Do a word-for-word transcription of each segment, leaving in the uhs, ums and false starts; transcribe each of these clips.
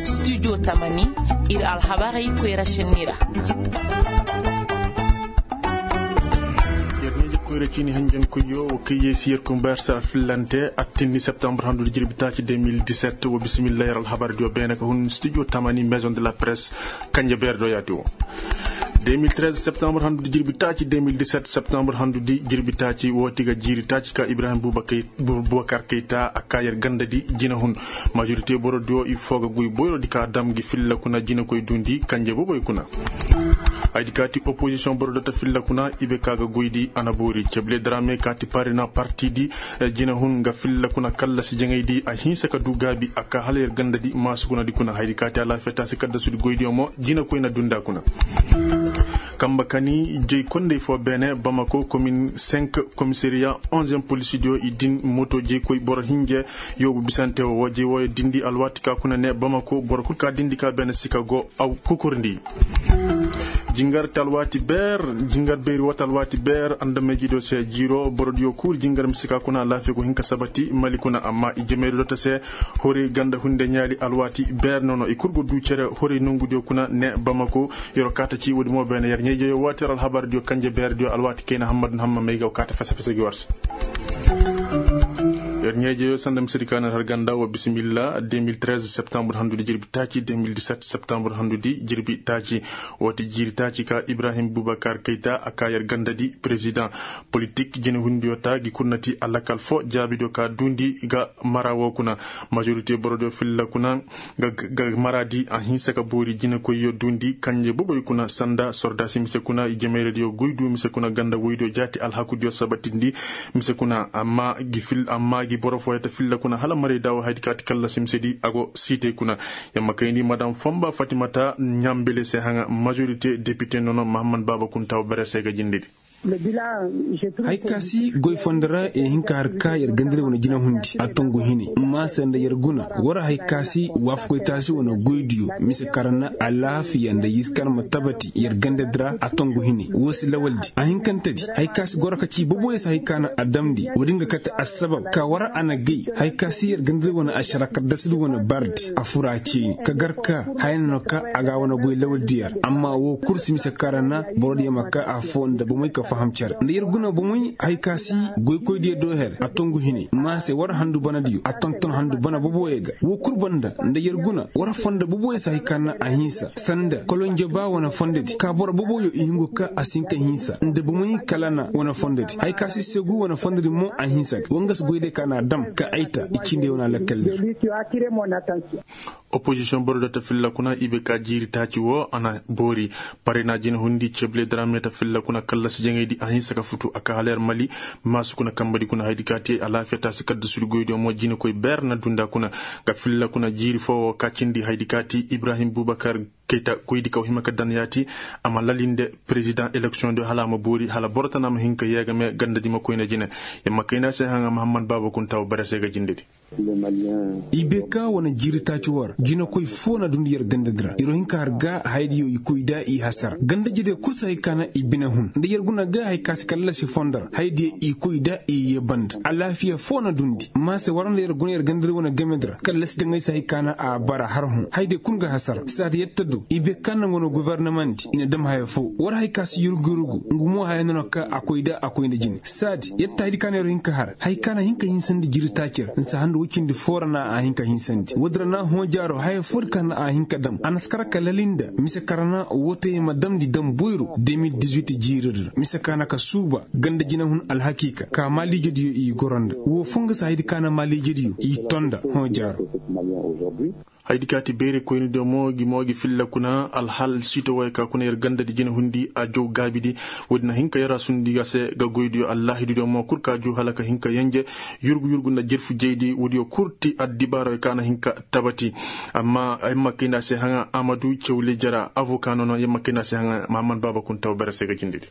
Studio tamani, ir alhabarey koyra šenni ra. Yer ɲeeji koyra ciini hanjankoyyo wo kaŋ yee si yer kumbayar sara fillante, attinni septembre handudi jirbi taaci deux mille dix-sept. Wo bisimillahi yer alhabar diyo beene ka hun studio tamani, maison de la presse, kanje beer do yaati wo. Deux mille treize septembre handudi jirbi taaci, deux mille dix-sept septembre handudi jirbi taaci, wo ti ga jiiri taaci ka ibrahim bubakar kayta a ka yer ganda di jinahun. Majorité boro diyo i foo ga goy boyro di ka dam gi filla kuna jinakoy dundi kanje boboy kuna. Haydi ka ti opposition boro data filla kuna i be ka ga goy di a na boori ceble drame ka ti parina parti di. Jinahun nga filla kuna kallasi jaŋay di a hinsa ka du gaabi a ka hala yer ganda di maasu kuna di kuna haydi ka ti alaafiya taasi kaddasudi goy diyo mo jinakoy na dunda kuna. Kamba kani jey kondey fo beene bamako komin cinq, komisariya onzième polisi diyo i din moto jey koy boro hinje. Yoobu bisante wo wo jey wooyo dindi alwaati ka kuna ne bamako boro kul ka dindi ka beene sika go aw kukurndi. Jingar talwaati beer, jingar beeri woo talwaati beer andamey jido se jiiro boro diyo kul jingar mise ka kuna alaafiya go hin ka sabati mali kuna amma i jemeeri dota se. Hori ganda hunde ɲaali alwaati beer nono i kul go du cere hori nongu diyo kuna ne bamako. Yer wo kaata ci woodi mo beene yer ɲeejeyo waati yer alhabar diyo kanje beer diyo alwaati kayna hammadu hamma may ga wo kaata fese fese gi war se. Yer ɲeejeyo sanda misedi ka na har ganda wa bisimilla deux mille treize septembre handudi jirbi taaci deux mille dix-sept septembre handudi jirbi taaci. Wo ti jiiri taaci ka ibrahim bubakar kayta a ka yer ganda di président politik jinahundiyo ta gi kurnati alakal fo jaabidiyo ka duundi ga mara wo kuna. Majorité borodiyo filla kuna ga mara di a hinsa ka boori jinakoyyo duundi kanje boboy kuna sanda sordaasi mise kuna i jemeyradiyo goy du mise kuna ganda woydiyo jaati alhakudiyo sabatindi. Mise kuna amma gi boro fooyata filla kuna hala marayda wo haydi ka ti kallasi misedi a go siitey kuna. Yamma kayndi madam fomba fatimata ɲambele se haŋa majorité depite nono mahammad baaba kunta wo bere se ga jindedi. Hay ka si goy fondo ra i hin ka har ka yer gandari wane jinahundi a tongu hine. Maase nda yer guna war hay ka si waafakoy taasi wane goydiyo mise kaŋ ra na alaafiya nda yiisi kaŋ ma tabati yer gandadi ra a tongu hine woo si lawaldi a hinkantedi hay ka si goro ka ci boboyey se hay ka na a damndi woodi nga kate assabab ka war a na gay. Hay ka si yer gandari wane ašara kaddasidi wane bardi a fura ceeni ka gar ka haya no ka a ga a wane goy lawaldi yer amma woo kul si mise kaŋ ra na borodiyo ma ka afoo nda bomey ka faham cere nda yer guna bomey hay ka si goykoydiyo do her a tongu hine maase war handu banadiyo a tonton handu bana boboyey ga woo kul banda nda yer guna war fondo boboyey se hay ka na a hinsa sanda kolonjo ba wane fondodi ka boro boboyo i hingu ka a si hin ka hinsa nda bomey kala na wane fondodi hay ka si segu wane fondodi mo a hinsa ga woo nga si goydiyo ka na a dam ka ay ta i cindey wane alakkaldi. Opozisiyoŋ boro da ta filla kuna i be ka jiiri taaci woo a na boori. Parena jinahundi cebile daraame ta filla kuna kallasi jaŋaydi a hinsa ka futu a ka hala yer mali maasu kuna kambadi kuna haydi ka te alaafiya taasi kaddasudi goydiyo mo jinakoy beer na dunda kuna. Ga filla kuna jiiri foo woo ka cindi haydi ka te ibrahim bubakar kayta goydi ka woo hima ka dan yaati. A ma lalinde perezidaŋ eleksiyoŋ diyo hala a ma boori hala boro tana ma hin ka yee game gandadi ma koyna jine. Yer ma kayndi a se haŋa mahammad baaba kunta woo bare se ga jindedi. I be ka wane jiiri taaci war jinakoy foo na dundi yer gandadi ra yer wo hin ka har ga hayadiyo i koy da i hasara gandajediyo kul si hay ka na i bine hun nda yer guna ga hay ka si kallasi fondo ra hayadiyo i koy da i yee banda alaafiya foo na dundi maase war nda yer guna yer gandadi wane gamedi ra kallasi daŋay si hay ka na a bara har hun hayadiyo kul ga hasara saadi yer ta du i be ka naŋ wane gofornamandi i na dam haya foo war hay ka si yurgu yurgu nga mo haya no na ka a koy da a koy nda jine saadi yer ta hayadi ka na yer hin ka har hay ka na hin ka hinsandi jiiri taaci ra nsa handu woy cindi foo ra na a hin ka hinsandi woodi ra na hõ jaaro haya foodi ka na a hin ka dam a na si kar ka lali nda mise kaŋ ra na wootey ma damndi dam boyro deux mille dix-huit jiiridi ra mise kaŋ na ka suuba ganda jinahun alhakiika ka maaliijediyo i goro nda woo foo nga si hayadi ka na maaliijediyo i to nda hõ jaaro. Hayadi ka ti beeri koynidiyo mo gi mo gi filla kuna alhal siito wooyo ka kuna yer gandadi jinahundi a jow gaabidi. Woodi na hin ka yer a sundi a se ga goydiyo allaahididiyo mo kul ka juu hala ka hin ka yenje yurgu yurgu nda jerfu jeydi woodiyo kul ti addibaarooyo ka na hin ka tabati. Amma ay ma kayndi a se haŋa amadu cewle jara avoka nono yer ma kayndi a se haŋa mahammad baaba kunta woo bare se ga jindedi.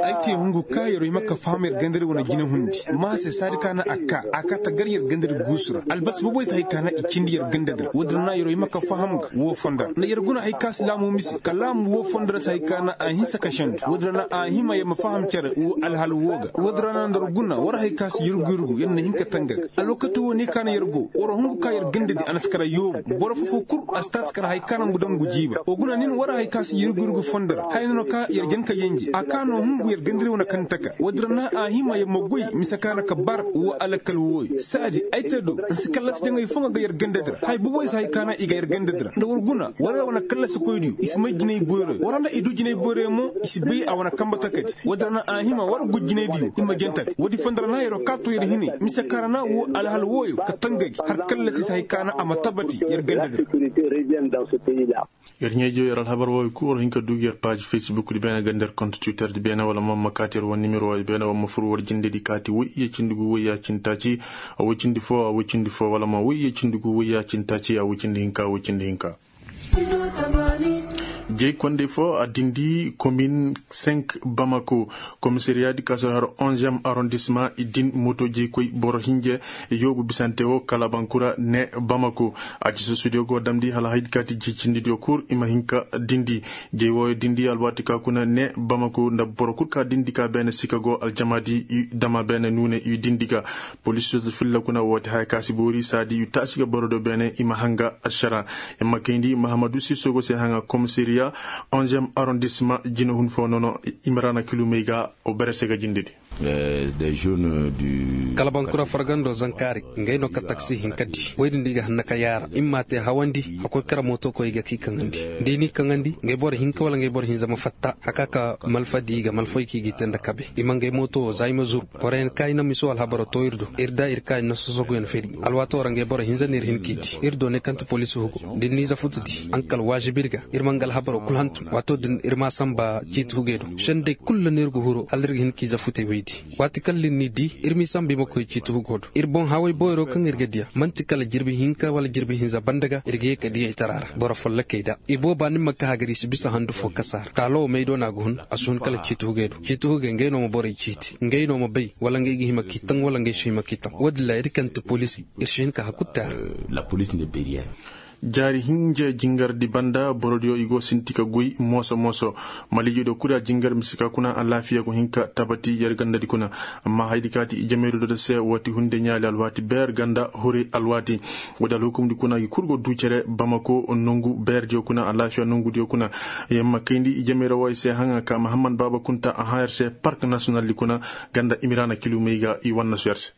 Ay te hungu ka yeroo hima ka faham yer gandadi wane jine hundi. Maase saadi ka na a kaa a kaa ta gar yer gandadi guusu ra. Albasi boboy si hay ka na i cindi yer gandadi ra woodin ra na yeroo hima ka faham ga woo fondo ra nda yer guna hay ka si laamu mise ka laamu woo fondo ra si hay ka na a hinsa ka sendu woodin ra na a hima yer ma faham cere woo alhal woo ga woodin ra na nda yer guna war hay ka si yurgu yurgu yer na hin ka tanga ga. Alwakati woo ne ka na yer go war hungu ka yer gandadi a na si kara yoobu boro foo-foo kul a si taasi kara hay ka na ngu daŋ ngu jiiba wa guna nin war hay ka si yurgu yurgu fondo ra haya no na ka yer jen ka yenje a ka no hungu yer gandadi wane kaŋ taka woodin ra na a hima yer ma goy mise ka na ka bar woo alakal wooyo saadi ay te do nsi kallasi jaŋay foo nga ga yer gandadi ra haya boboy si hay ka na i ga yer gandadi ra nda war guna war wane kallasikoydiyo i si may jinay boyroyo war nda i du jinay boyroyo mo i si bay a wane kambe takadi woodin ra na a hima war gu jinaydiyo i ma jenta ga woodi fondo ra na yeroo kaa to yer hinay mise ka ra na woo alhal wooyo ka tanga gi har kallasi si hay ka na a ma tabati yer gandadi ra. Yer ɲaa-ijo yer alhabar wooyo kul war hin ka duu gi yer paaz fesbukdi beene ga nda yer kont twitterdi beene wala ma ma kaati yer wane nimero wooyo beene wala ma fur war jindedi kaati woy iyye cindi gu woy iyye cindi taaci a woy cindi foo a woy cindi foo wala ma woy iyye cindi gu woy iyye cindi taaci a woy cindi hinka a woy cindi hinka. Jey kondey foo a dindi komin sink bamako, komisariyaadi ka si har onziyem arondisma i din moto jey koy boro hinje yoobu bisante woo kala bankura ne bamako. A ci sosudiyo go damndi hala haydi kaati jey cindidiyo kul i ma hin ka dindi. Jey wooyo dindi alwaati ka kuna ne bamako nda boro kul ka dindi ka beene sika go aljamaadi i dama beene nuune i dindi ga. Polisiyoo filla kuna woo ti haya ka si boori saadi i taasi ga borodiyo beene i ma hanga ašara. Yer ma kayndi mahamadu sisogo se haŋa komisariya onziyem arondisma jina hun foo nono. Imrana kilumey ga o bere se ga jindedi. Kala bankura fargando zankaari ngay no ka taksi hinka di woy din da i ga hanna ka yaara i ma te hawandi hakkoy kara mooto koy i ga k'i kaŋandi. Da i n'i kaŋandi ngay boro hinka wala ngay boro hinza ma fatta haka ka malfa di i ga malfa i k'i gi te nda kabe i ma ngay mooto wo za i ma zuru. Boroyaŋ ka i na miso alhabaro to ir do ir da ir ka i na sosoguyaŋ feri. Alwaato ra ngay boro hinza no ir hin k'i di ir do ne kaŋ ti poliisi hugo da ir n'i za futu di ankal waazibi ir ga. Ir ma nga alhabaro kul hantum waato din ir ma a sanba ciiti hugey do sendey kul ra no ir ga huru hala ir ga hin k'i za futey woy di. Waati kaŋ ir n'i di ir m'i sanba i ma koy ciiti hugo do ir boŋ haway boyro kaŋ ir ga diya man'ti kala jirbi hinka wala jirbi hinza banda ga ir ga ye ka diya i tara ra boro follokey da i booba ni ma ka hagari i si bisa handu fo kasa ra taalo wo may do no a ga hun. A si hun kala ciiti hugey do ciiti hugey ngey no ma borey ciiti ngey no ma bay wala ngey ga hima k'i taŋ wala ngey si hima k'i taŋ wo- din ra ir kaŋ ti poliisi ir si hin ka hakku te a ra. Jaari hinja jingardi banda borodiyo i go sinti ka goy mooso mooso. Maliijediyo kul a jingar mise ka kuna alaafiya go hin ka tabati yer gandadi kuna. Amma hayadi kaati i jamayru do da se woo ti hunde ɲaali alwaati beer ganda huri alwaati. Woo di alhukumdi kuna gi kul go duu cere bamako nongu beerdiyo kuna alaafiya nongudiyo kuna. Yer ma kayndi i jamayra wooyo se haŋa ka mahammad baaba kunta a hã yer se park nasiyonaldi kuna. Ganda imiraana kilumey ga i wannasu yer se.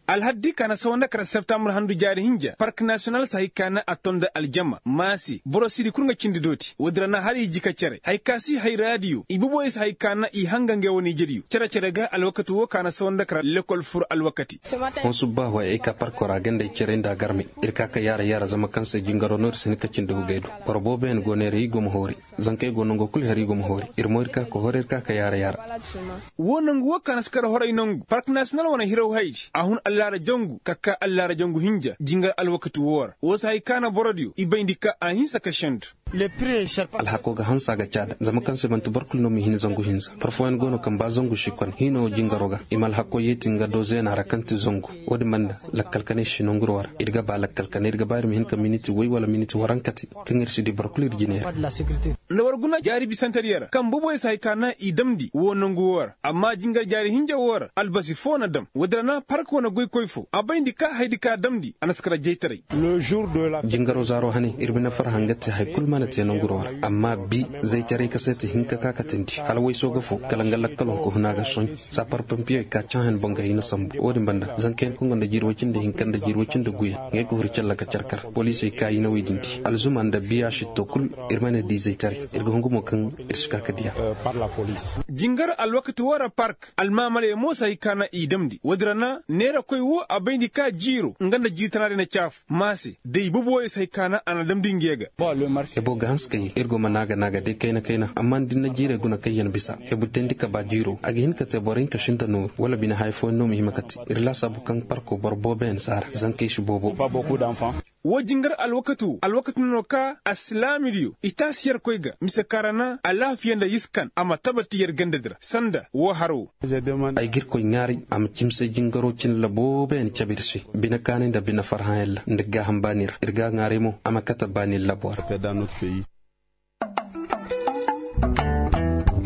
Alhaddi ka na sawa nda kara septambur handu jaari hinja park nasiyonal si hay ka na a to nda aljama maase boro siidi kul nga cindi dooti woodi ra na hala i ji ka cere hay ka si hay raadiyo i boboyo si hay ka na i hanga ngey wane ijediyo cere-cere ga alwakati woo ka na sawa nda kara lekol fur alwakati. Hõ subbaahu ay ay ka parko ra ganda ay cere nda a garmey. Ir ka ka yaara yaara zama kaŋ se jingaro no ir si hin ka cindi hugey do. Boro booboyaŋ go neera i go ma hoori. Zankey go nango kul her i go ma hoori ir mo ir ka ka hoori ir ka ka yaara yaara. Woo nangu woo ka na si kar horay nangu park nasiyonal wane hiraw haydi a hun allaara jangu ka kaa allaara jangu hinja jingar alwakati woo ra woo si hay ka na borodiyo i bayndi ka a hinsa ka sendu. Alhakoo ga hanse a ga caada zama kaŋ se man'ti boro kul no m'i hin zangu hinza boro fooyaŋ go no kaŋ ba zangu si kone hiino jingaroo ga i ma alhakoo yeeti nga do zeena ra kaŋ ti zangu. Woo din banda lakkal kanay si nanguroo ra ir ga ba lakkal kanay ir ga ba ir ma hin ka miniti woy wala miniti warankati kaŋ ir si dii boro kul ir jinay ra. Nda war guna jaari bisantediyo ra kaŋ boboyo si hay ka na i damndi woo nangu woo ra amma jingar jaari hinja woo ra albasi foo na dam woodi ra na park wane goykoy foo a bayndi ka hayadi ka damndi a na si kara jaytaray. Jingaroo zaaroo hane ir bine farha nga te hay kul mana te nanguroo ra. Amma bi zaytaray kaseeti hinka ka katandi hala waysoo ga foo kala nga lakkaloo ka hun a ga soɲ. Sapar pompiyoy ka caahan boŋ ga hina sambu woo din banda zankayaŋ kaŋ gonda jiiri woy cindi hinka nda jiiri woy cindi guyaŋ ngey ga huru calla ka carkar poliisey ka i na wey din di alzuma nda biya sitto kul. Ir mana di zaytaray ir ga hungu mo kaŋ ir si ka ka diya. Jingar alwakati woo ra park almaamaley mo si hay ka na i damndi woodi ra na neerakoy woo a bayndi ka jiiroo nga nda jiiri tanaadiyo na caafu maase da i boboyo si hay ka na a na damndi ngey ga. Hebo ga hanse ka ye ir go ma naaga naaga day kayna kayna amma da ni na jiirey guna kaŋ yaŋ bisa hebu teendi ka ba jiiroo a ga hin ka te boro hinka sinda nooru wala bine haya fooyaŋ no ma hima ka te. Ir laasaabu kaŋ parko boro booboyaŋ si a ra zankey si boobo. Woo jingar alwakati woo alwakati no no ka alsilaamidiyo i taasi yerkoy ga mise kaŋ ra na alaafiya nda yiskan a ma tabati yer gandadi ra sanda woo har woo. Ay ga irkoy ŋaaray a ma cimse jingaroo cin labooboyaŋ cabe ir se. Bine kaanay nda bine farhaŋyaŋ ra nda gaaham baani ra ir ga a ŋaaray mo a ma kate baani labo ra.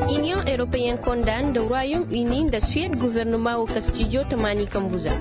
Iniyoŋ eropeyen konda nda ruwayom ini nda suwed gofornoma woo kastijo tamaani kambu za.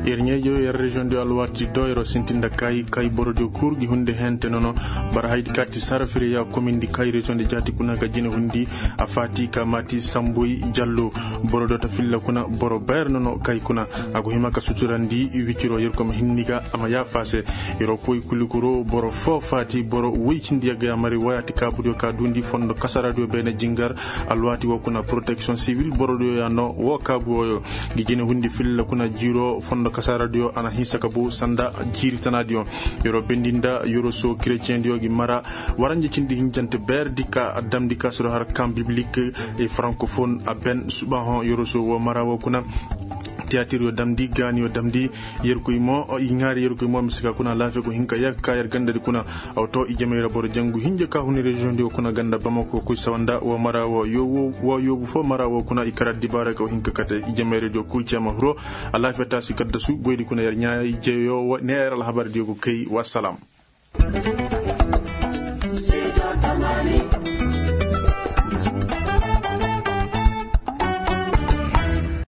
Yer ɲaa-ijewoo yer reziyoŋ diyo alwaati do yeroo sintin nda kaayi kaayi borodiyo kul gi hundi hente nono. Bara haydi kaati sarafiriya komindi kaayi reziyoŋ di jaati kuna ga jine hundi. A faati ka maati samboy jallo. Borodiyo ta filla kuna boro bayra nono kaayi kuna. A go hima ka suturandi wiciroo yerkoy ma hinni ga a ma yaafa a se. Yeroo koy kulikuro boro foo faati boro woy cindi yagga ya mari wayaati kaabudiyo ka duundi fondo kasaaradiyo beene jingar. Alwaati woo kuna poroteksiyoŋ siwil borodiyo ya no woo kaabu wooyo. Ngi jine hundi filla kuna jiiroo fondo kasaaradiyo a na hinsa ka buu sanda jiiri tanaadiyo. Yeroo bendi nda yeroo soo keretiyeŋdiyo ngi mara waranja cindi hinjante beeredi ka damndi ka siro har kaŋ biblik e farankofon a ben subahoŋ yeroo soo woo mara woo kuna. Tiyaatir yoo damndi gaani yoo damndi. Yerkoy mo i ŋaari yerkoy mo mise ka kuna alaafiya go hin ka yagga ka yer gandadi kuna. Aw to ijemey ra boro jangu hinja ka huni reziyoŋ di wo kuna ganda bamako koy sawa nda wo mara wo yoobu foo mara wo kuna i kara dibaarey ka wo hin ka kate ijemey ra diyo kul cee ma hiro. Alaafiya taasi kaddasu goydi kuna yer ɲaa-ijeyo ne yer alhabar diyo go kay wa salaam.